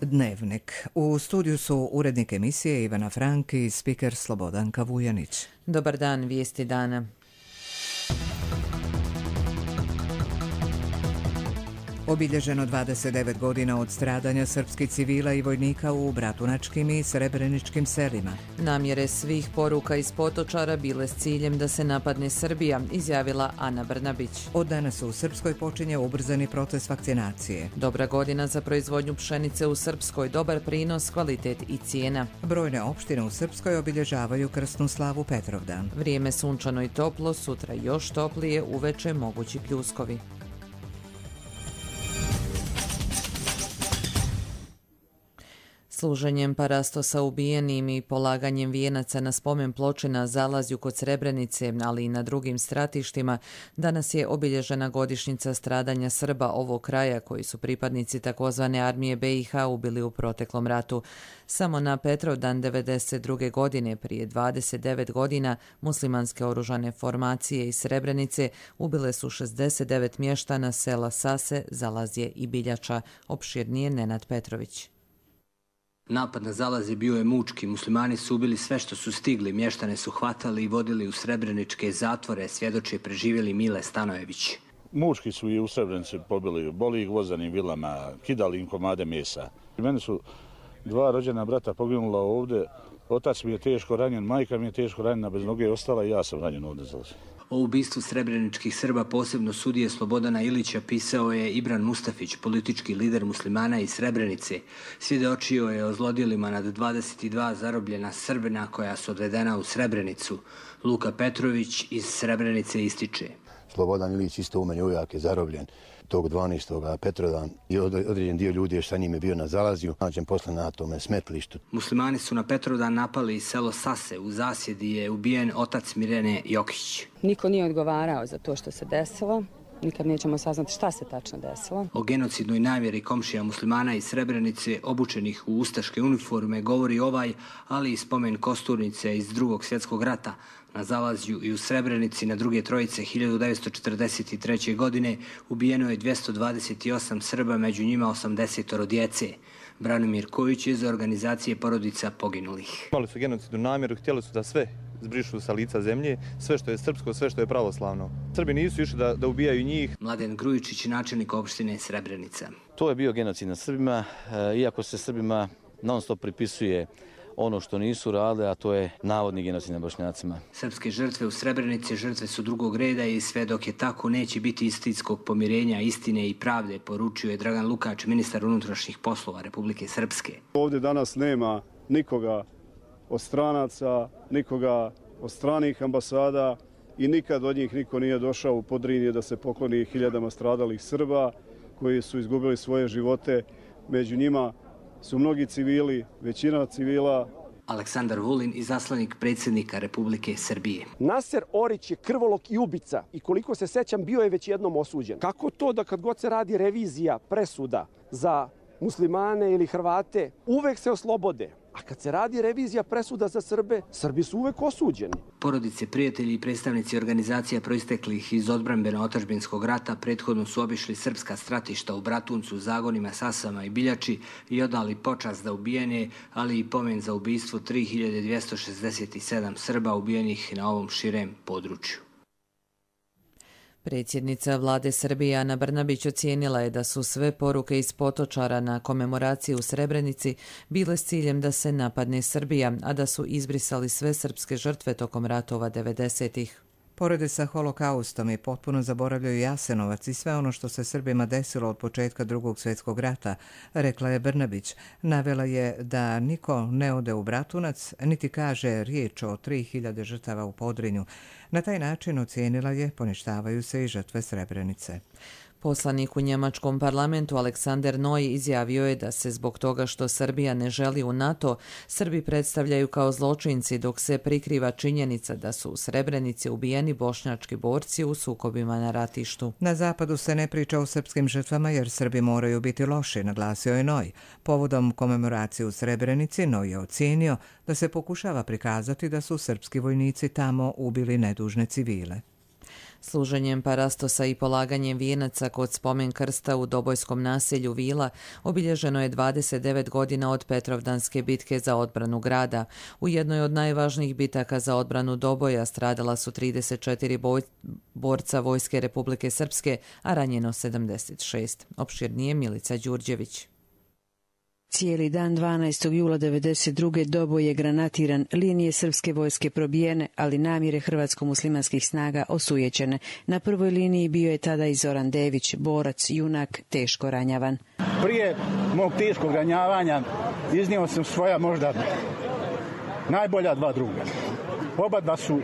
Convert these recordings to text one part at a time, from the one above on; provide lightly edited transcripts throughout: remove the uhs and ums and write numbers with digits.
Dnevnik. U studiju su urednik emisije Ivana Frank i spiker Slobodanka Vujanić. Dobar dan, vijesti dana. Obilježeno 29 godina od stradanja srpskih civila i vojnika u bratunačkim i srebreničkim selima. Namjere svih poruka iz Potočara bile s ciljem da se napadne Srbija, izjavila Ana Brnabić. Od danas u Srpskoj počinje ubrzani proces vakcinacije. Dobra godina za proizvodnju pšenice u Srpskoj, dobar prinos, kvalitet i cijena. Brojne opštine u Srpskoj obilježavaju krsnu slavu Petrovdan. Vrijeme sunčano i toplo, sutra još toplije, uveče mogući pljuskovi. Služenjem parastosa ubijenim i polaganjem vijenaca na spomen ploče na Zalazju kod Srebrenice, ali i na drugim stratištima, danas je obilježena godišnjica stradanja Srba ovog kraja koji su pripadnici takozvane armije BiH ubili u proteklom ratu. Samo na Petrovdan 1992. godine, prije 29 godina, muslimanske oružane formacije iz Srebrenice ubile su 69 mještana sela Sase, Zalazje i Biljača, opširnije Nenad Petrović. Napad na Zalazje bio je mučki, muslimani su ubili sve što su stigli, mještane su hvatali i vodili u srebreničke zatvore, svjedoče preživjeli Mile Stanojević. Mučki su i u Srebrenici pobili, boli ih vozanim vilama, kidali im komade mesa. Meni su dva rođena brata poginula ovdje, otac mi je teško ranjen, majka mi je teško ranjena, bez noge ostala i ja sam ranjen ovdje. O ubistvu srebreničkih Srba, posebno sudije Slobodana Ilića, pisao je Ibran Mustafić, politički lider muslimana iz Srebrenice. Svjedočio je o zlodjelima nad 22 zarobljena Srbina koja su odvedena u Srebrenicu. Luka Petrović iz Srebrenice ističe. Slobodan Ilić isto u meni ujak je zarobljen tog 12. Petrovdan i određen dio ljudi je sa njim je bio na Zalazju, nađen posle na tome smetlištu. Muslimani su na Petrovdan napali selo Sase, u zasjedi je ubijen otac Mirene Jokić. Niko nije odgovarao za to što se desilo. Nikad nećemo saznati šta se tačno desilo. O genocidnoj namjeri komšija muslimana iz Srebrenice obučenih u ustaške uniforme govori ovaj, ali i spomen Kosturnice iz Drugog svjetskog rata. Na Zalazju i u Srebrenici na druge trojice 1943. godine ubijeno je 228 Srba, među njima 80 djece. Branimir Kojić je za organizacije porodica poginulih. Imali su genocidnu namjeru, htjeli su da sve zbrišu sa lica zemlje, sve što je srpsko, sve što je pravoslavno. Srbi nisu išli da ubijaju njih. Mladen Grujičić, načelnik opštine Srebrenica. To je bio genocid nad Srbima, iako se Srbima non stop pripisuje ono što nisu radili, a to je navodni genocid nad Bošnjacima. Srpske žrtve u Srebrenici žrtve su drugog reda i sve dok je tako neće biti istinskog pomirenja, istine i pravde, poručio je Dragan Lukač, ministar unutrašnjih poslova Republike Srpske. Ovdje danas nema nikoga od stranaca, nikoga od stranih ambasada i nikad od njih niko nije došao u Podrinje da se pokloni hiljadama stradalih Srba koji su izgubili svoje živote. Među njima su mnogi civili, većina civila. Aleksandar Vulin, izaslanik predsjednika Republike Srbije. Naser Orić je krvolok i ubica i koliko se sećam bio je već jednom osuđen. Kako to da kad god se radi revizija presuda za muslimane ili Hrvate, uvek se oslobode? A kad se radi revizija presuda za Srbe, Srbi su uvek osuđeni. Porodice, prijatelji i predstavnici organizacija proisteklih iz odbrambeno-otadžbinskog rata prethodno su obišli srpska stratišta u Bratuncu, Zagonima, Sasama i Biljači i odali počast za ubijene, ali i pomen za ubijstvo 3267 Srba ubijenih na ovom širem području. Predsjednica vlade Srbije Ana Brnabić ocijenila je da su sve poruke iz Potočara na komemoraciji u Srebrenici bile s ciljem da se napadne Srbija, a da su izbrisali sve srpske žrtve tokom ratova 90-ih. Porede sa holokaustom i potpuno zaboravljaju Jasenovac i sve ono što se Srbima desilo od početka Drugog svjetskog rata, rekla je Brnabić. Navela je da niko ne ode u Bratunac, niti kaže riječ o 3000 žrtava u Podrinju. Na taj način ocijenila je poništavaju se i žrtve Srebrenice. Poslanik u njemačkom parlamentu Aleksander Noj izjavio je da se zbog toga što Srbija ne želi u NATO, Srbi predstavljaju kao zločinci dok se prikriva činjenica da su u Srebrenici ubijeni bošnjački borci u sukobima na ratištu. Na zapadu se ne priča o srpskim žrtvama jer Srbi moraju biti loši, naglasio je Noj. Povodom komemoracije u Srebrenici Noj je ocijenio da se pokušava prikazati da su srpski vojnici tamo ubili nedužne civile. Služenjem parastosa i polaganjem vijenaca kod spomen krsta u Dobojskom naselju Vila obilježeno je 29 godina od Petrovdanske bitke za odbranu grada. U jednoj od najvažnijih bitaka za odbranu Doboja stradala su 34 borca Vojske Republike Srpske, a ranjeno 76. Opširnije Milica Đurđević. Cijeli dan 12. jula 1992. Doboj je granatiran, linije srpske vojske probijene, ali namjere hrvatsko-muslimanskih snaga osujećene. Na prvoj liniji bio je tada i Zoran Dević, borac, junak, teško ranjavan. Prije mog teškog ranjavanja iznio sam svoja možda najbolja dva druga. Oba dva su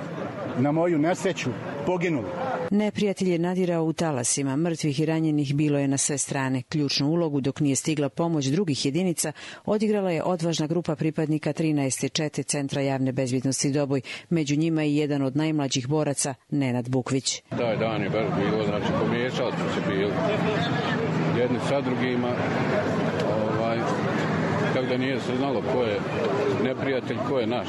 na moju nesreću poginuli. Neprijatelj je nadirao u talasima, mrtvih i ranjenih bilo je na sve strane. Ključnu ulogu, dok nije stigla pomoć drugih jedinica, odigrala je odvažna grupa pripadnika 13. čete Centra javne bezbjednosti Doboj, među njima i jedan od najmlađih boraca, Nenad Bukvić. Taj dan je baš bilo, znači pomiješali smo se bili jedni sa drugima, tako da nije se znalo ko je neprijatelj, ko je naš.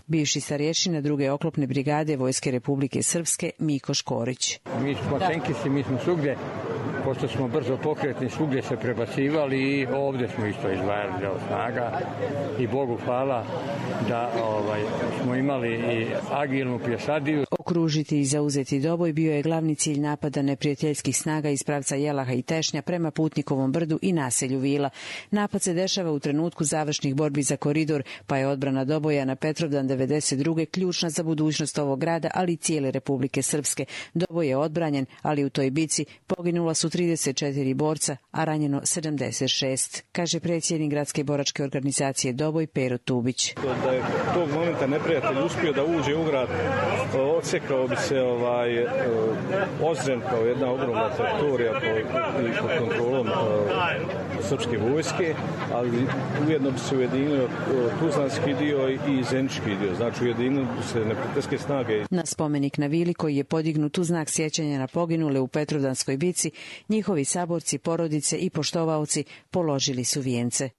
Bivši starješina druge oklopne brigade Vojske Republike Srpske, Miko Škorić. Mi smo tenkisi, mi smo svugdje, pošto smo brzo pokretni, svugdje se prebacivali i ovdje smo isto izdvajali deo snaga i Bogu hvala da smo imali i agilnu pješadiju. Okružiti i zauzeti Doboj bio je glavni cilj napada neprijateljskih snaga iz pravca Jelaha i Tešnja prema Putnikovom brdu i naselju Vila. Napad se dešava u trenutku završnih borbi za koridor, pa je odbrana Doboja na Petrovdan 1992. ključna za budućnost ovog grada, ali i cijele Republike Srpske. Doboj je odbranjen, ali u toj bici poginula su 34 borca, a ranjeno 76, kaže predsjednik gradske boračke organizacije Doboj Pero Tubić. Da je tog momenta neprijatelj uspio da uđe u grad, odsekao bi se Ozren kao jedna ogromna teritorija pod kontrolom srpske vojske, ali ujedno bi se ujedinio tuzlanski dio i zenički dio, znači ujedinili bi se neprijateljske snage. Na spomenik na Vili, koji je podignut u znak sjećanja na poginule u Petrovdanskoj bici, njihovi saborci, porodice i poštovaoci položili su vijence.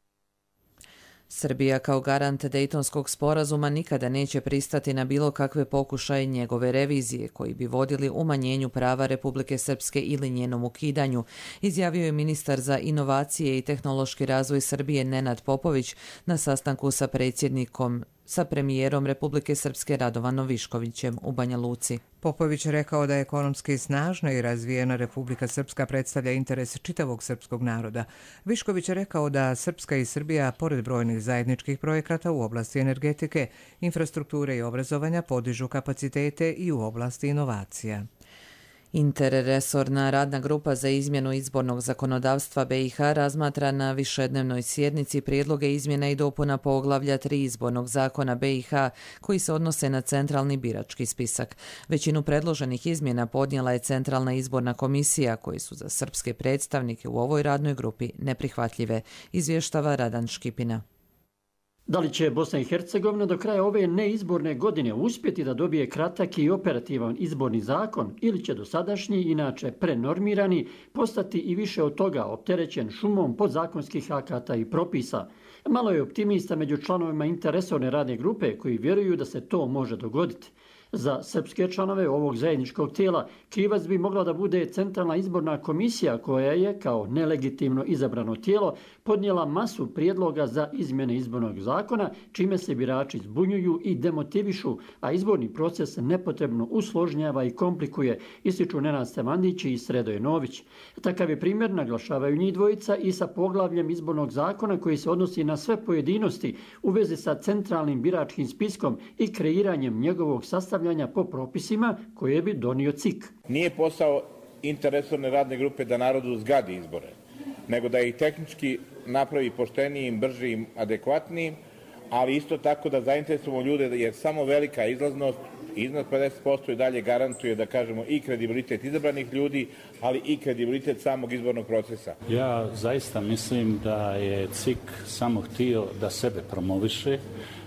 Srbija kao garant Dejtonskog sporazuma nikada neće pristati na bilo kakve pokušaje njegove revizije koji bi vodili umanjenju prava Republike Srpske ili njenom ukidanju, izjavio je ministar za inovacije i tehnološki razvoj Srbije Nenad Popović na sastanku sa premijerom Republike Srpske Radovanom Viškovićem u Banja Luci. Popović je rekao da ekonomski snažna i razvijena Republika Srpska predstavlja interes čitavog srpskog naroda. Višković je rekao da Srpska i Srbija, pored brojnih zajedničkih projekata u oblasti energetike, infrastrukture i obrazovanja, podižu kapacitete i u oblasti inovacija. Interresorna radna grupa za izmjenu izbornog zakonodavstva BiH razmatra na višednevnoj sjednici prijedloge izmjena i dopuna poglavlja 3 izbornog zakona BiH koji se odnose na centralni birački spisak. Većinu predloženih izmjena podnijela je Centralna izborna komisija, koji su za srpske predstavnike u ovoj radnoj grupi neprihvatljive, izvještava Radan Škipina. Da li će Bosna i Hercegovina do kraja ove neizborne godine uspjeti da dobije kratak i operativan izborni zakon ili će dosadašnji, inače prenormirani, postati i više od toga opterećen šumom podzakonskih akata i propisa? Malo je optimista među članovima interresorne radne grupe koji vjeruju da se to može dogoditi. Za srpske članove ovog zajedničkog tijela krivac bi mogla da bude Centralna izborna komisija koja je, kao nelegitimno izabrano tijelo, podnijela masu prijedloga za izmjene izbornog zakona, čime se birači zbunjuju i demotivišu, a izborni proces nepotrebno usložnjava i komplikuje, ističu Nenad Stevandić i Sredoje Nović. Takav je primjer, naglašavaju njih dvojica, i sa poglavljem izbornog zakona koji se odnosi na sve pojedinosti u vezi sa centralnim biračkim spiskom i kreiranjem njegovog sastavljanja po propisima koje bi donio CIK. Nije posao interresorne radne grupe da narodu zgadi izbore, nego da ih tehnički napravi poštenijim, bržim, adekvatnijim, ali isto tako da zainteresujemo ljude, jer samo velika izlaznost iznad 50% i dalje garantuje, da kažemo, i kredibilitet izabranih ljudi, ali i kredibilitet samog izbornog procesa. Ja zaista mislim da je CIK samo htio da sebe promoviše.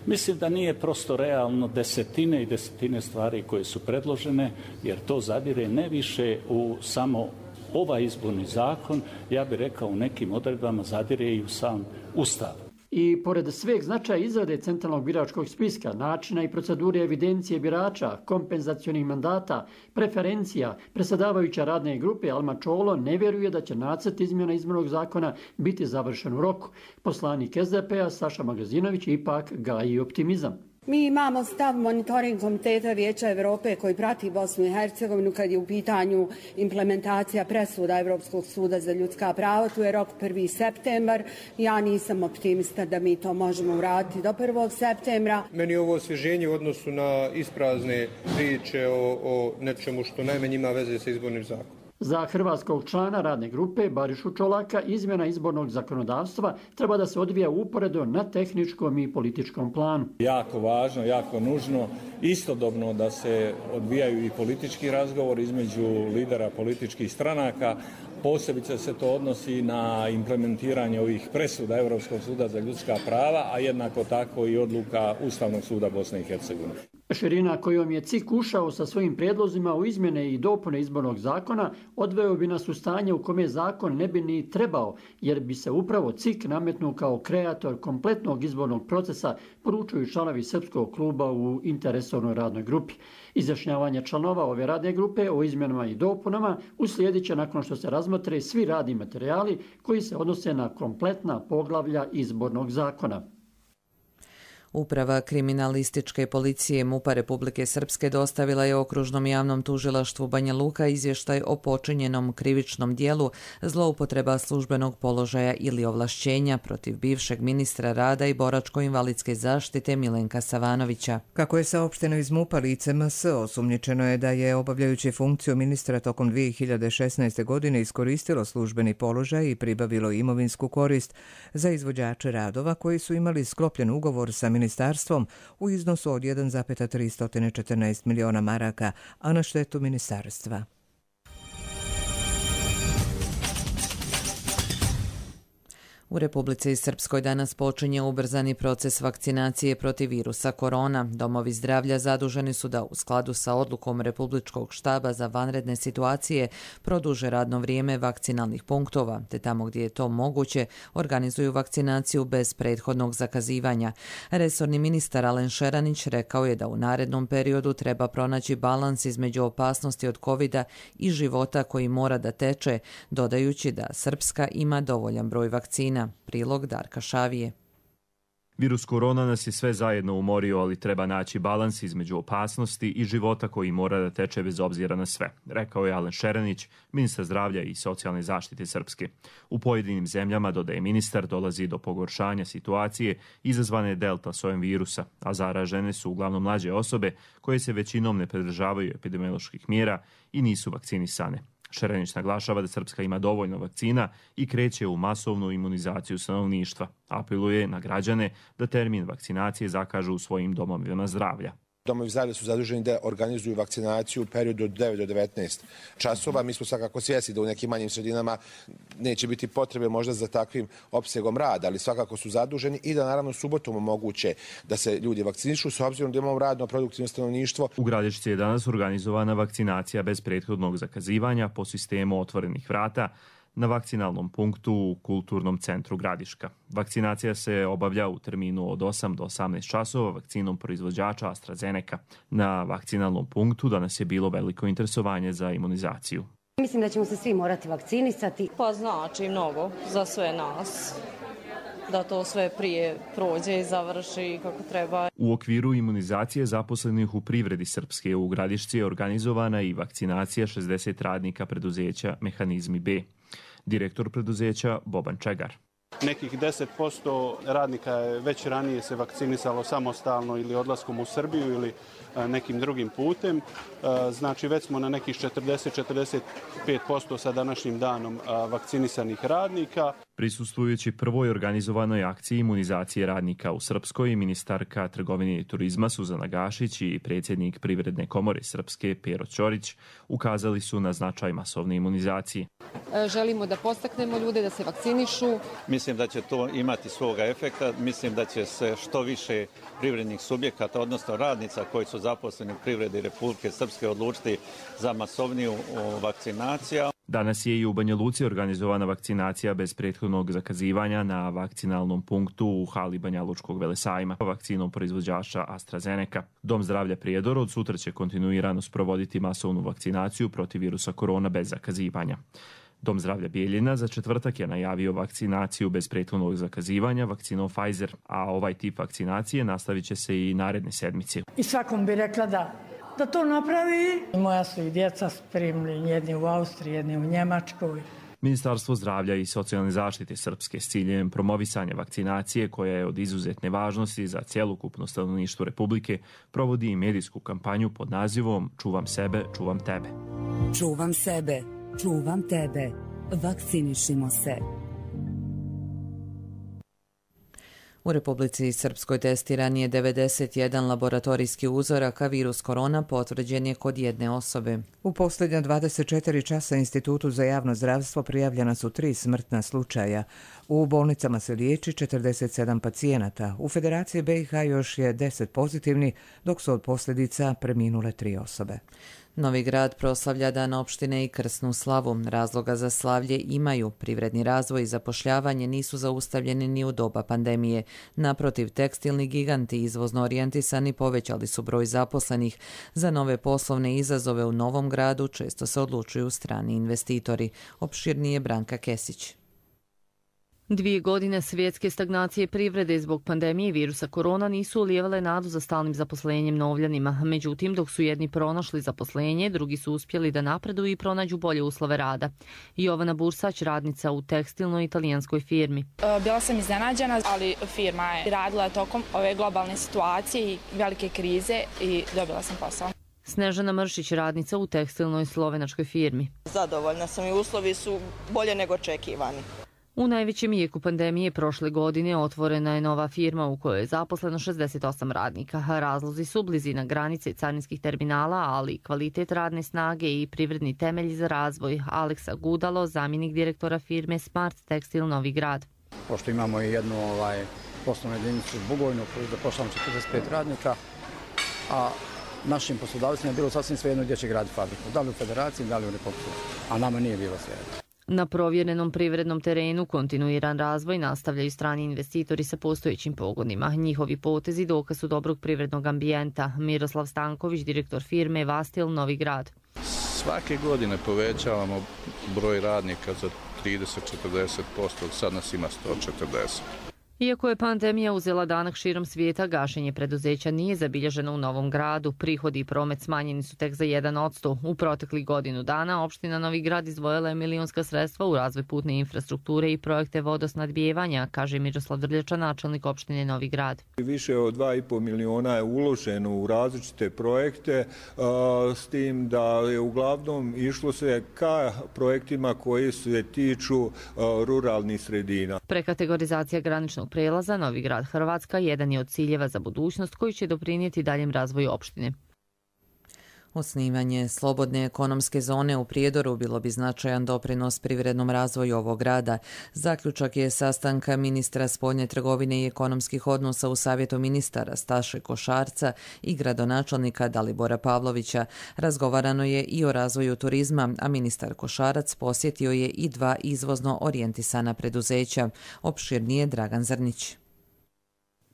Mislim da nije prosto realno desetine i desetine stvari koje su predložene, jer to zadire ne više u samo ovaj izborni zakon, ja bih rekao u nekim odredbama zadire i u sam Ustav. I pored sveg značaja izrade centralnog biračkog spiska, načina i procedure evidencije birača, kompenzacionih mandata, preferencija, predsjedavajuća radne grupe Alma Čolo ne vjeruje da će nacrt izmjena izbornog zakona biti završen u roku. Poslanik SDP-a Saša Magazinović ipak gaji optimizam. Mi imamo stav monitoring komiteta Vijeća Europe koji prati Bosnu i Hercegovinu kad je u pitanju implementacija presuda Europskog suda za ljudska prava. Tu je rok 1. septembar. Ja nisam optimista da mi to možemo uraditi do 1. septembra. Meni je ovo osvježenje u odnosu na isprazne priče o nečemu što najmanje ima veze sa izbornim zakonom. Za hrvatskog člana radne grupe Barišu Čolaka izmjena izbornog zakonodavstva treba da se odvija uporedo na tehničkom i političkom planu. Jako važno, jako nužno, istodobno da se odvijaju i politički razgovor između lidera političkih stranaka. Posebice se to odnosi na implementiranje ovih presuda Europskog suda za ljudska prava, a jednako tako i odluka Ustavnog suda Bosne i Hercegovine. Širina kojom je CIK ušao sa svojim prijedlozima u izmjene i dopune izbornog zakona odveo bi nas u stanje u kome zakon ne bi ni trebao, jer bi se upravo CIK nametnuo kao kreator kompletnog izbornog procesa, poručuju članovi Srpskog kluba u interresornoj radnoj grupi. Izjašnjavanje članova ove radne grupe o izmjenama i dopunama uslijedit će nakon što se razmotre svi radni materijali koji se odnose na kompletna poglavlja izbornog zakona. Uprava kriminalističke policije MUP-a Republike Srpske dostavila je Okružnom javnom tužilaštvu Banja Luka izvještaj o počinjenom krivičnom dijelu zloupotreba službenog položaja ili ovlašćenja protiv bivšeg ministra rada i boračko-invalidske zaštite Milenka Savanovića. Kako je saopšteno iz MUP-a, lice MS osumnjičeno je da je obavljajući funkciju ministra tokom 2016. godine iskoristilo službeni položaj i pribavilo imovinsku korist za izvođače radova koji su imali sklopljen ugovor sa ministarstvom u iznosu od 1,314 miliona maraka, a na štetu ministarstva. U Republici Srpskoj danas počinje ubrzani proces vakcinacije protiv virusa korona. Domovi zdravlja zaduženi su da u skladu sa odlukom Republičkog štaba za vanredne situacije produže radno vrijeme vakcinalnih punktova, te tamo gdje je to moguće organizuju vakcinaciju bez prethodnog zakazivanja. Resorni ministar Alen Šeranić rekao je da u narednom periodu treba pronaći balans između opasnosti od covida i života koji mora da teče, dodajući da Srpska ima dovoljan broj vakcina. Prilog Darka Šavije. Virus korona nas je sve zajedno umorio, ali treba naći balans između opasnosti i života koji mora da teče bez obzira na sve, rekao je Alen Šeranić, ministar zdravlja i socijalne zaštite Srpske. U pojedinim zemljama, dodaje ministar, dolazi do pogoršanja situacije izazvane delta sojem virusa, a zaražene su uglavnom mlađe osobe koje se većinom ne pridržavaju epidemioloških mjera i nisu vakcinisane. Šeranić naglašava da Srpska ima dovoljno vakcina i kreće u masovnu imunizaciju stanovništva. Apeluje na građane da termin vakcinacije zakažu u svojim domovima zdravlja. Domovi zdravlja su zaduženi da organizuju vakcinaciju u periodu od 9 do 19 časova. Mi smo svakako svjesni da u nekim manjim sredinama neće biti potrebe možda za takvim opsegom rada, ali svakako su zaduženi i da naravno subotom omoguće da se ljudi vakcinišu s obzirom da imamo radno produktivno stanovništvo. U Gradišci je danas organizovana vakcinacija bez prethodnog zakazivanja po sistemu otvorenih vrata na vakcinalnom punktu u Kulturnom centru Gradiška. Vakcinacija se obavlja u terminu od 8 do 18 časova vakcinom proizvođača AstraZeneca. Na vakcinalnom punktu danas je bilo veliko interesovanje za imunizaciju. Mislim da ćemo se svi morati vakcinisati. Pa znači mnogo za sve nas. Da to sve prije prođe i završi kako treba. U okviru imunizacije zaposlenih u privredi Srpske u Gradišci je organizovana i vakcinacija 60 radnika preduzeća Mehanizmi B. Direktor preduzeća Boban Čegar. Nekih 10% radnika je već ranije se vakcinisalo samostalno ili odlaskom u Srbiju ili nekim drugim putem. Znači već smo na nekih 40-45% sa današnjim danom vakcinisanih radnika. Prisustvujući prvoj organizovanoj akciji imunizacije radnika u Srpskoj, ministarka trgovine i turizma Suzana Gašić i predsjednik Privredne komore Srpske Pero Ćorić ukazali su na značaj masovne imunizacije. Želimo da podstaknemo ljude da se vakcinišu. Mislim da će to imati svoga efekta. Mislim da će se što više privrednih subjekata, odnosno radnica koji su zaposleni u privredi Republike Srpske odlučiti za masovniju vakcinaciju. Danas je i u Banja Luci organizovana vakcinacija bez prethodnog zakazivanja na vakcinalnom punktu u hali Banja Lučkog velesajma vakcinom proizvođača AstraZeneca. Dom zdravlja Prijedor od sutra će kontinuirano sprovoditi masovnu vakcinaciju protiv virusa korona bez zakazivanja. Dom zdravlja Bijeljina za četvrtak je najavio vakcinaciju bez prethodnog zakazivanja vakcinom Pfizer, a ovaj tip vakcinacije nastavit će se i naredne sedmice. I svakom bi rekla da to napravi. Moja su i djeca spremni, jedni u Austriji, jedni u Njemačkoj. Ministarstvo zdravlja i socijalne zaštite Srpske s ciljem promovisanja vakcinacije, koja je od izuzetne važnosti za cjelokupno stanovništvo Republike, provodi i medijsku kampanju pod nazivom Čuvam sebe, čuvam tebe. Čuvam sebe, čuvam tebe. Vakcinišimo se. U Republici Srpskoj testiran je 91 laboratorijski uzorak, a virus korona potvrđen je kod jedne osobe. U posljednja 24 časa Institutu za javno zdravstvo prijavljena su 3 smrtna slučaja. U bolnicama se liječi 47 pacijenata. U Federaciji BiH još je 10 pozitivni, dok su od posljedica preminule 3 osobe. Novi Grad proslavlja Dan opštine i krsnu slavu. Razloga za slavlje imaju. Privredni razvoj i zapošljavanje nisu zaustavljeni ni u doba pandemije. Naprotiv, tekstilni giganti izvozno orijentisani povećali su broj zaposlenih. Za nove poslovne izazove u Novom Gradu često se odlučuju strani investitori. Opširnije Branka Kesić. 2 godine svjetske stagnacije privrede zbog pandemije virusa korona nisu ulijevale nadu za stalnim zaposlenjem Novljanima. Međutim, dok su jedni pronašli zaposlenje, drugi su uspjeli da napreduju i pronađu bolje uslove rada. Jovana Bursać, radnica u tekstilnoj italijanskoj firmi. Bila sam iznenađena, ali firma je radila tokom ove globalne situacije i velike krize i dobila sam posao. Snežana Mršić, radnica u tekstilnoj slovenačkoj firmi. Zadovoljna sam i uslovi su bolje nego očekivani. U najvećem jeku pandemije prošle godine otvorena je nova firma u kojoj je zaposleno 68 radnika. Razlozi su blizina granice carinskih terminala, ali i kvalitet radne snage i privredni temelji za razvoj. Aleksa Gudalo, zamjenik direktora firme Smart Tekstil Novi Grad. Pošto imamo i jednu poslovnu jedinicu u Bugojnu koju zapošljamo 45 radnika, a našim poslodavcima je bilo sasvim svejedno gdje će graditi fabriku. Da li u Federaciji, da li u Republiku, a nama nije bilo svejedno. Na provjerenom privrednom terenu kontinuiran razvoj nastavljaju strani investitori sa postojećim pogonima. Njihovi potezi dokaz su dobrog privrednog ambijenta. Miroslav Stanković, direktor firme Vastil Novi Grad. Svake godine povećavamo broj radnika za 30-40%, sad nas ima 140. Iako je pandemija uzela danak širom svijeta, gašenje preduzeća nije zabilježeno u Novom Gradu. Prihodi i promet smanjeni su tek za 1%. U proteklih godinu dana opština Novi Grad izdvojila je milionska sredstva u razvoj putne infrastrukture i projekte vodosnadbijevanja, kaže Miroslav Drljača, načelnik opštine Novi Grad. Više od 2,5 miliona je uloženo u različite projekte, s tim da je uglavnom išlo se ka projektima koji se tiču ruralnih sredina. Prekategorizacija graničnog prelaza Novi Grad Hrvatska jedan je od ciljeva za budućnost koji će doprinijeti daljem razvoju opštine. Osnivanje slobodne ekonomske zone u Prijedoru bilo bi značajan doprinos privrednom razvoju ovog grada. Zaključak je sastanka ministra spoljne trgovine i ekonomskih odnosa u Savjetu ministara Staše Košarca i gradonačelnika Dalibora Pavlovića. Razgovarano je i o razvoju turizma, a ministar Košarac posjetio je i 2 izvozno orijentisana preduzeća. Opširnije Dragan Zrnić.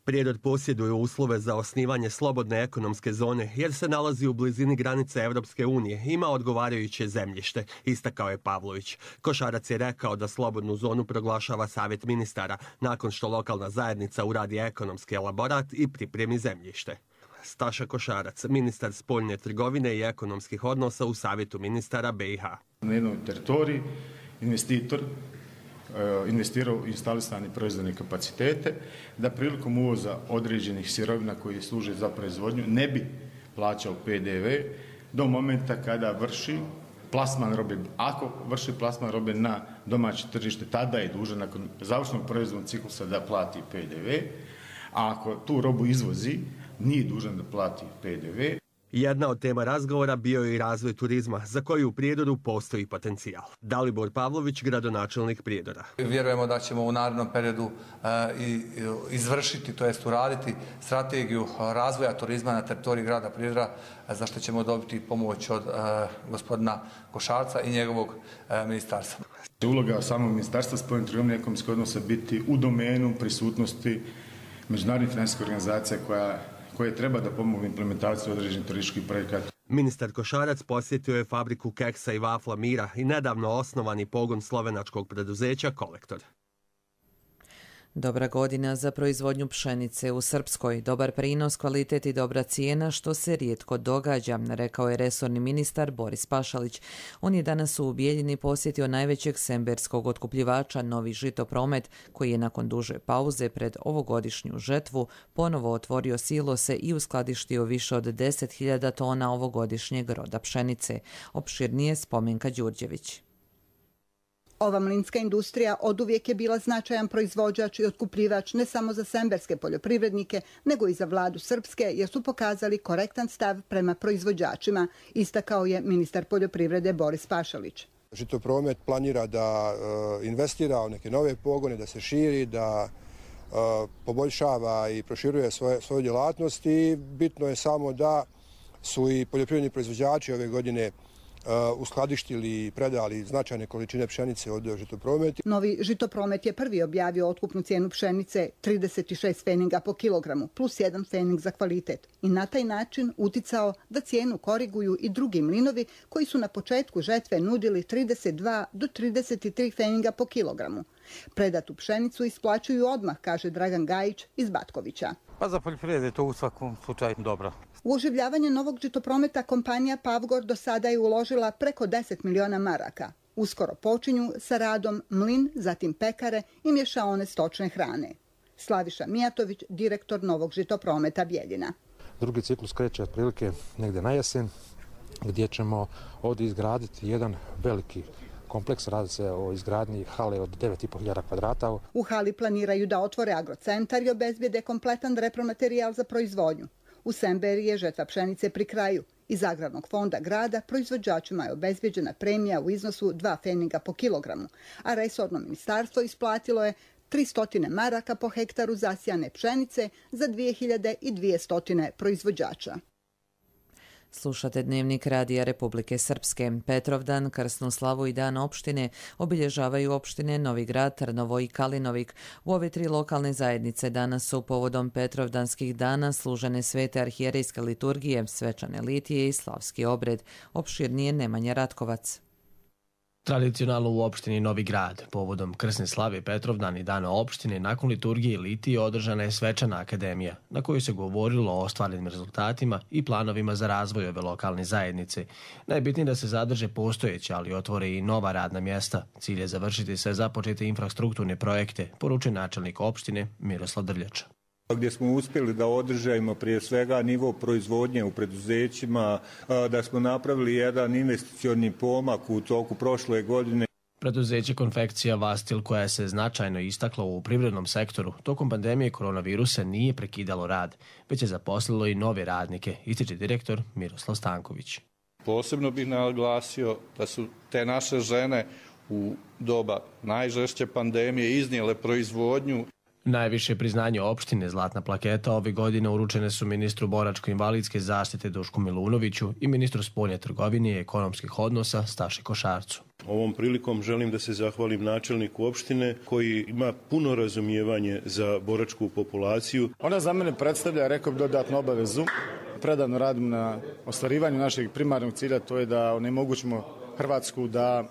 Prijedor posjeduje uslove za osnivanje slobodne ekonomske zone jer se nalazi u blizini granice Evropske unije i ima odgovarajuće zemljište, istakao je Pavlović. Košarac je rekao da slobodnu zonu proglašava Savjet ministara nakon što lokalna zajednica uradi ekonomski elaborat i pripremi zemljište. Staša Košarac, ministar spoljne trgovine i ekonomskih odnosa u Savjetu ministara BiH. Na jednoj teritoriji investitor investirao u instalisane proizvodne kapacitete, da prilikom uvoza određenih sirovina koji služe za proizvodnju ne bi plaćao PDV do momenta kada vrši plasman robe. Ako vrši plasman robe na domaće tržište, tada je dužan nakon završnog proizvodnog ciklusa da plati PDV, a ako tu robu izvozi, nije dužan da plati PDV. Jedna od tema razgovora bio je i razvoj turizma, za koji u Prijedoru postoji potencijal. Dalibor Pavlović, gradonačelnik Prijedora. Vjerujemo da ćemo u narednom periodu izvršiti, to jest uraditi strategiju razvoja turizma na teritoriji grada Prijedora, za što ćemo dobiti pomoć od gospodina Košarca i njegovog ministarstva. Uloga samog ministarstva spoljne trgovine i ekonomskih odnosa biti u domenu prisutnosti međunarodnih financijskih organizacija koje treba da pomogu implementaciju određenih turističkih projekata. Ministar Košarac posjetio je fabriku keksa i vafla Mira i nedavno osnovani pogon slovenačkog preduzeća Kolektor. Dobra godina za proizvodnju pšenice u Srpskoj, dobar prinos, kvalitet i dobra cijena, što se rijetko događa, rekao je resorni ministar Boris Pašalić. On je danas u Bijeljini posjetio najvećeg semberskog otkupljivača Novi Žitopromet, koji je nakon duže pauze pred ovogodišnju žetvu ponovo otvorio silose i uskladištio više od 10.000 tona ovogodišnjeg roda pšenice. Opširnije Spomenka Đurđević. Ova mlinska industrija oduvijek je bila značajan proizvođač i otkupljivač ne samo za semberske poljoprivrednike, nego i za vladu Srpske, jer su pokazali korektan stav prema proizvođačima, istakao je ministar poljoprivrede Boris Pašalić. Žitopromet planira da investira u neke nove pogone, da se širi, da poboljšava i proširuje svoju djelatnost i bitno je samo da su i poljoprivredni proizvođači ove godine uskladištili i predali značajne količine pšenice od Žitoprometa. Novi Žitopromet je prvi objavio otkupnu cijenu pšenice 36 feninga po kilogramu plus 1 fening za kvalitet i na taj način uticao da cijenu koriguju i drugi mlinovi koji su na početku žetve nudili 32 do 33 feninga po kilogramu. Predatu pšenicu isplaćuju odmah, kaže Dragan Gajić iz Batkovića. Pa za poljoprivredu je to u svakom slučaju dobro. U oživljavanje novog Žitoprometa kompanija Pavgor do sada je uložila preko 10 miliona maraka. Uskoro počinju sa radom mlin, zatim pekare i mješaone stočne hrane. Slaviša Mijatović, direktor novog Žitoprometa Bijeljina. Drugi ciklus kreće otprilike negdje na jesen, gdje ćemo ovdje izgraditi jedan veliki kompleks, radi se o izgradnji hale od 9.500 kvadrata. U hali planiraju da otvore agrocentar i obezbijede kompletan repromaterijal za proizvodnju. U Semberiji je žetva pšenice pri kraju. Iz agrarnog fonda grada proizvođačima je obezbjeđena premija u iznosu 2 feninga po kilogramu, a resorno ministarstvo isplatilo je 300 maraka po hektaru zasijane pšenice za 2200 proizvođača. Slušate Dnevnik Radija Republike Srpske. Petrovdan, krsnu slavu i dan opštine obilježavaju opštine Novi Grad, Trnovo i Kalinovik. U ove tri lokalne zajednice danas su povodom Petrovdanskih dana služene svete arhijerejske liturgije, svečane litije i slavski obred. Opširnije Nemanja Ratkovac. Tradicionalno u opštini Novi Grad, povodom krsne slave Petrovdan i dana opštine, nakon liturgije i litije održana je svečana akademija, na kojoj se govorilo o ostvarenim rezultatima i planovima za razvoj ove lokalne zajednice. Najbitnije da se zadrže postojeće, ali otvore i nova radna mjesta. Cilj je završiti sve započete infrastrukturne projekte, poručuje načelnik opštine Miroslav Drljača. Gdje smo uspjeli da održajemo prije svega nivo proizvodnje u preduzećima, da smo napravili jedan investicioni pomak u toku prošle godine. Preduzeće Konfekcija Vastil, koja se značajno istakla u privrednom sektoru, tokom pandemije koronavirusa nije prekidalo rad, već je zaposlilo i nove radnike, ističe direktor Miroslav Stanković. Posebno bih naglasio da su te naše žene u doba najžešće pandemije iznijele proizvodnju. Najviše priznanje opštine Zlatna plaketa ove godine uručene su ministru boračko-invalidske zaštite Dušku Milunoviću i ministru spoljne trgovine i ekonomskih odnosa Staši Košarcu. Ovom prilikom želim da se zahvalim načelniku opštine koji ima puno razumijevanje za boračku populaciju. Ona za mene predstavlja, rekao bih, dodatnu obavezu. Predano radim na ostvarivanju našeg primarnog cilja, to je da onemogućimo Hrvatsku da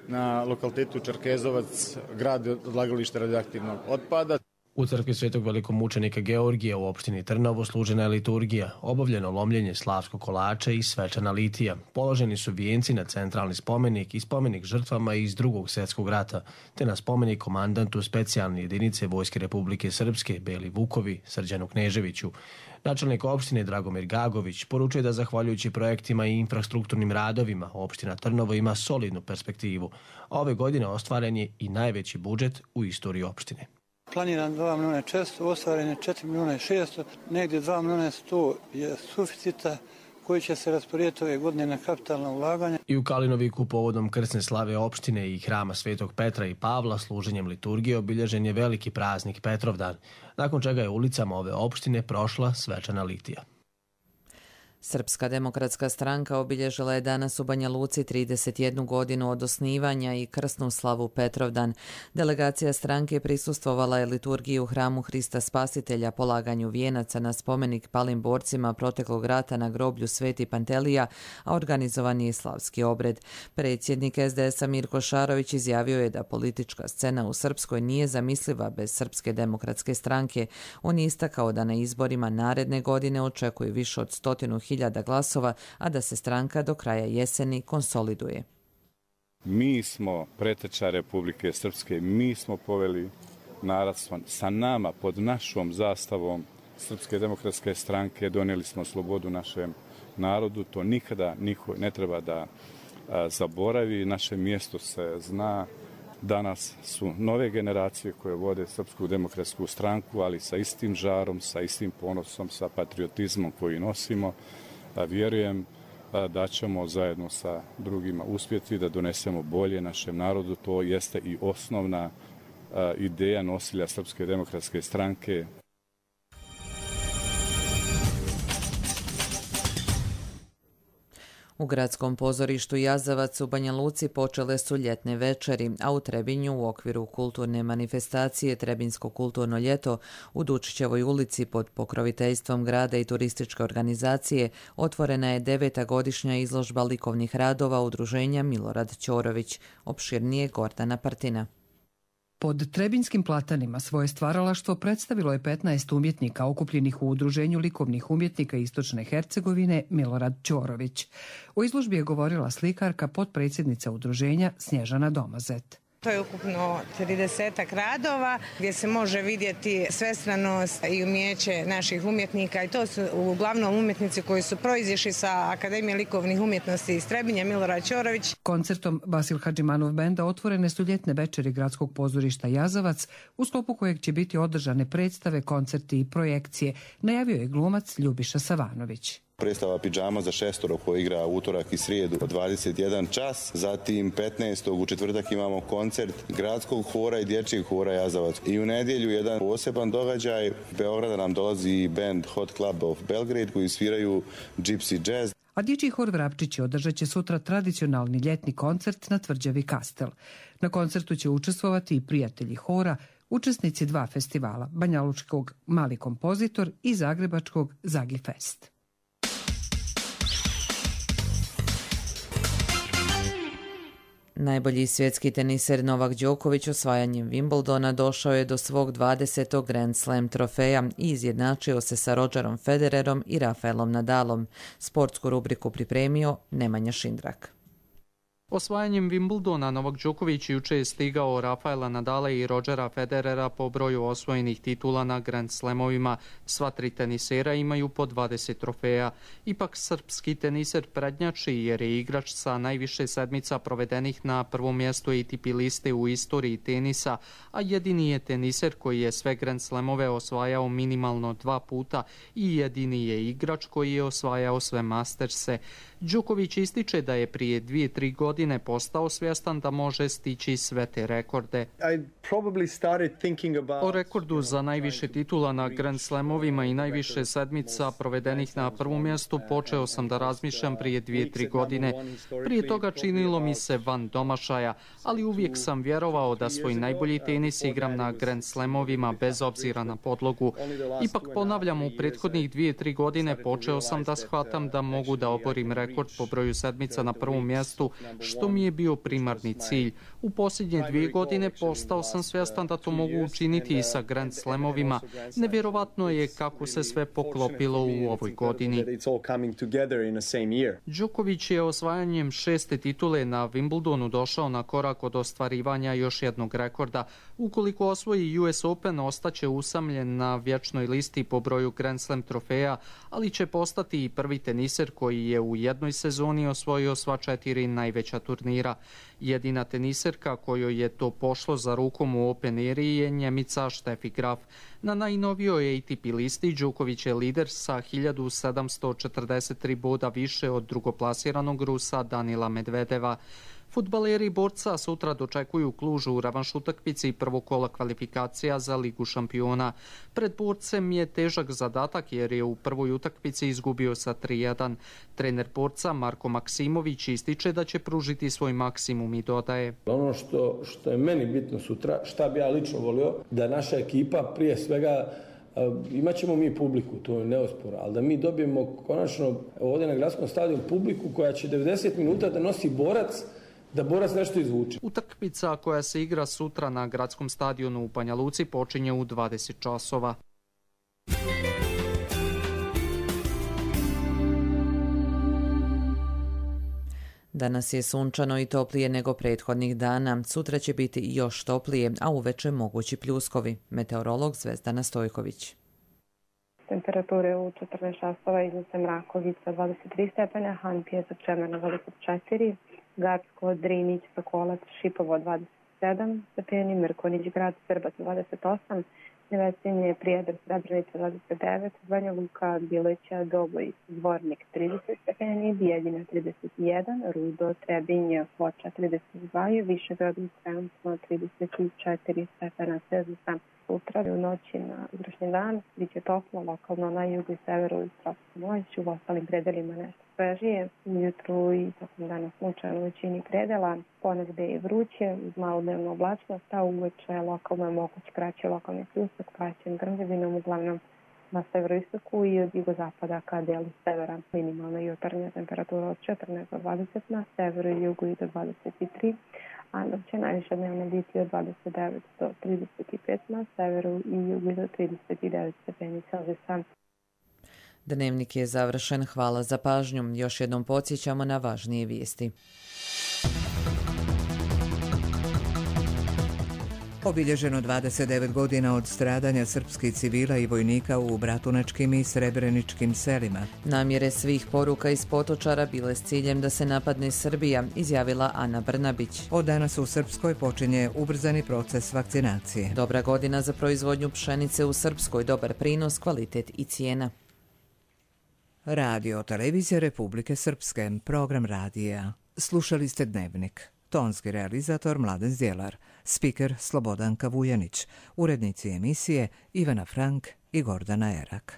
na lokalitetu Čerkezovac gradi odlagalište radioaktivnog otpada. U crkvi Svetog velikomučenika Georgija u opštini Trnovo služena je liturgija, obavljeno lomljenje slavskog kolača i svečana litija. Položeni su vijenci na centralni spomenik i spomenik žrtvama iz Drugog svjetskog rata, te na spomenik komandantu specijalne jedinice Vojske Republike Srpske Beli Vukovi Srđanu Kneževiću. Načelnik opštine Dragomir Gagović poručuje da zahvaljujući projektima i infrastrukturnim radovima opština Trnovo ima solidnu perspektivu, a ove godine ostvaren je i najveći budžet u istoriji opštine. Planiran 2 milijuna 400, ostvaren je 4 milijuna 600, negdje 2 milijuna 100 je suficita, koji će se rasporediti ove godine na kapitalna ulaganja. I u Kalinoviku povodom krsne slave opštine i hrama Svetog Petra i Pavla služenjem liturgije obilježen je veliki praznik Petrovdan, nakon čega je ulicama ove opštine prošla svečana litija. Srpska demokratska stranka obilježila je danas u Banja Luci 31 godinu od osnivanja i krsnu slavu Petrovdan. Delegacija stranke prisustvovala je liturgiji u hramu Hrista Spasitelja, polaganju vijenaca na spomenik palim borcima proteklog rata na groblju Sveti Pantelija, a organizovan je slavski obred. Predsjednik SDS-a Mirko Šarović izjavio je da politička scena u Srpskoj nije zamisliva bez Srpske demokratske stranke. On je istakao da na izborima naredne godine očekuje više od 100.000 glasova, a da se stranka do kraja jeseni konsoliduje. Mi smo preteča Republike Srpske, mi smo poveli narod sa nama, pod našom zastavom Srpske demokratske stranke, donijeli smo slobodu našem narodu, to nikada niko ne treba da zaboravi, naše mjesto se zna. Danas su nove generacije koje vode Srpsku demokratsku stranku, ali sa istim žarom, sa istim ponosom, sa patriotizmom koji nosimo. Vjerujem da ćemo zajedno sa drugima uspjeti da donesemo bolje našem narodu. To jeste i osnovna ideja nosilja Srpske demokratske stranke. U gradskom pozorištu Jazavac u Banja Luci počele su ljetne večeri, a u Trebinju u okviru kulturne manifestacije Trebinsko kulturno ljeto u Dučićevoj ulici pod pokroviteljstvom grada i turističke organizacije otvorena je 9. godišnja izložba likovnih radova udruženja Milorad Ćorović. Opširnije Gordana Partina. Pod Trebinskim platanima svoje stvaralaštvo predstavilo je 15 umjetnika okupljenih u Udruženju likovnih umjetnika Istočne Hercegovine Milorad Ćorović. O izložbi je govorila slikarka, potpredsjednica udruženja Snježana Domazet. To je ukupno 30 radova gdje se može vidjeti svestranost i umjeće naših umjetnika i to su uglavnom umjetnici koji su proizišli sa Akademije likovnih umjetnosti iz Trebinja, Milorad Ćorović. Koncertom Vasil Hadžimanov benda otvorene su ljetne večeri gradskog pozorišta Jazavac, u sklopu kojeg će biti održane predstave, koncerti i projekcije, najavio je glumac Ljubiša Savanović. Predstava Pidžama za šestoro koja igra utorak i srijedu od 21 čas. Zatim 15. u četvrtak imamo koncert gradskog hora i dječjeg hora Jazavac. I u nedjelju jedan poseban događaj. Beograda nam dolazi band Hot Club of Belgrade koji sviraju Gypsy Jazz. A dječji hor Vrapčići održat će sutra tradicionalni ljetni koncert na tvrđavi Kastel. Na koncertu će učestvovati i prijatelji hora, učesnici 2 festivala, banjalučkog Mali kompozitor i zagrebačkog Zagi Fest. Najbolji svjetski teniser Novak Đoković osvajanjem Wimbledona došao je do svog 20. Grand Slam trofeja i izjednačio se sa Rogerom Federerom i Rafaelom Nadalom. Sportsku rubriku pripremio Nemanja Šindrak. Osvajanjem Wimbledona Novak Đoković juče je stigao Rafaela Nadala i Rogera Federera po broju osvojenih titula na Grand Slamovima. Sva 3 tenisera imaju po 20 trofeja. Ipak srpski teniser prednjači jer je igrač sa najviše sedmica provedenih na prvom mjestu ATP liste u istoriji tenisa, a jedini je teniser koji je sve Grand Slamove osvajao minimalno 2 puta i jedini je igrač koji je osvajao sve Masterse. Đoković ističe da je prije 2-3 godine postao svjestan da može stići sve te rekorde. O rekordu za najviše titula na Grand Slamovima i najviše sedmica provedenih na prvom mjestu počeo sam da razmišljam prije 2-3 godine. Prije toga činilo mi se van domašaja, ali uvijek sam vjerovao da svoj najbolji tenis igram na Grand Slamovima bez obzira na podlogu. Ipak ponavljam, u prethodnih 2-3 godine počeo sam da shvatam da mogu da oborim rekord po broju sedmica na prvom mjestu, što mi je bio primarni cilj. U posljednje 2 godine postao sam svjestan da to mogu učiniti i sa Grand Slamovima. Nevjerovatno je kako se sve poklopilo u ovoj godini. Đoković je osvajanjem 6. titule na Wimbledonu došao na korak od ostvarivanja još jednog rekorda. Ukoliko osvoji US Open, ostaće usamljen na vječnoj listi po broju Grand Slam trofeja, ali će postati i prvi teniser koji je u jednoj sezoni osvojio sva 4 najveća vodeća turnira. Jedina teniserka kojoj je to pošlo za rukom u Open Eri je Njemica Steffi Graf. Na najnovijoj ATP listi Đuković je lider sa 1743 boda više od drugoplasiranog Rusa Danila Medvedeva. Fudbaleri borca sutra dočekuju Klužu u revanš utakmici prvog kola kvalifikacija za Ligu šampiona. Pred borcem je težak zadatak jer je u prvoj utakmici izgubio sa 3:1. Trener borca Marko Maksimović ističe da će pružiti svoj maksimum i dodaje: Ono što je meni bitno sutra, šta bi ja lično volio, da naša ekipa prije svega, imat ćemo mi publiku, to je neosporno, ali da mi dobijemo konačno ovdje na gradskom stadionu publiku koja će 90 minuta da nosi borac, da borac nešto izvuče. Utakmica koja se igra sutra na gradskom stadionu u Banja Luci počinje u 20 časova. Danas je sunčano i toplije nego prethodnih dana. Sutra će biti još toplije, a uveče mogući pljuskovi. Meteorolog Zvezdana Stojković. Temperature u 14 časova iznose Mrakovica 23 stepena, Han Pjesak Čemerna 24, Gacko, Drinić, Sokolac, Šipovo 27 stepeni, Mirkonić, Grad, Srbac 28, Nevesinje, Prijedor, Srebrenica 29, Banja Luka, Bileća, Doboj, Zvornik 30 stepeni, Bijeljina 31, Rudo, Trebinje, Foča 32, Višegrad, Sremstvo 34 stepena Celzijusa. Sutra u noći na utrašnji dan biće toplo, lokalno na jugu i severu i tropsku noć, u ostalim predelima nešto svežije. Ujutru i tokom dana sunčano u većini predela, ponegde je vruće, uz malo dnevnu oblačnost, a uveče lokalno je moguć kraći lokalni pljusak, praćen grmljavinom, uglavnom na severoistoku i od jugozapada ka delu severa. Minimalna jutarnja temperatura od 14 do 20, na severu i jugu i do 23, a dok će najviše dnevno biti od 29 do 35, na severu i jugu do 39 stepeni Celzijusa. Dnevnik je završen. Hvala za pažnju. Još jednom podsjećamo na važnije vijesti. Obilježeno 29 godina od stradanja srpskih civila i vojnika u bratunačkim i srebreničkim selima. Namjere svih poruka iz Potočara bile s ciljem da se napadne Srbija, izjavila Ana Brnabić. Od danas u Srpskoj počinje ubrzani proces vakcinacije. Dobra godina za proizvodnju pšenice u Srpskoj, dobar prinos, kvalitet i cijena. Radio Televizija Republike Srpske, program radija. Slušali ste Dnevnik. Tonski realizator Mladen Zdjelar, spiker Slobodanka Vujanić, urednici emisije Ivana Frank i Gordana Erak.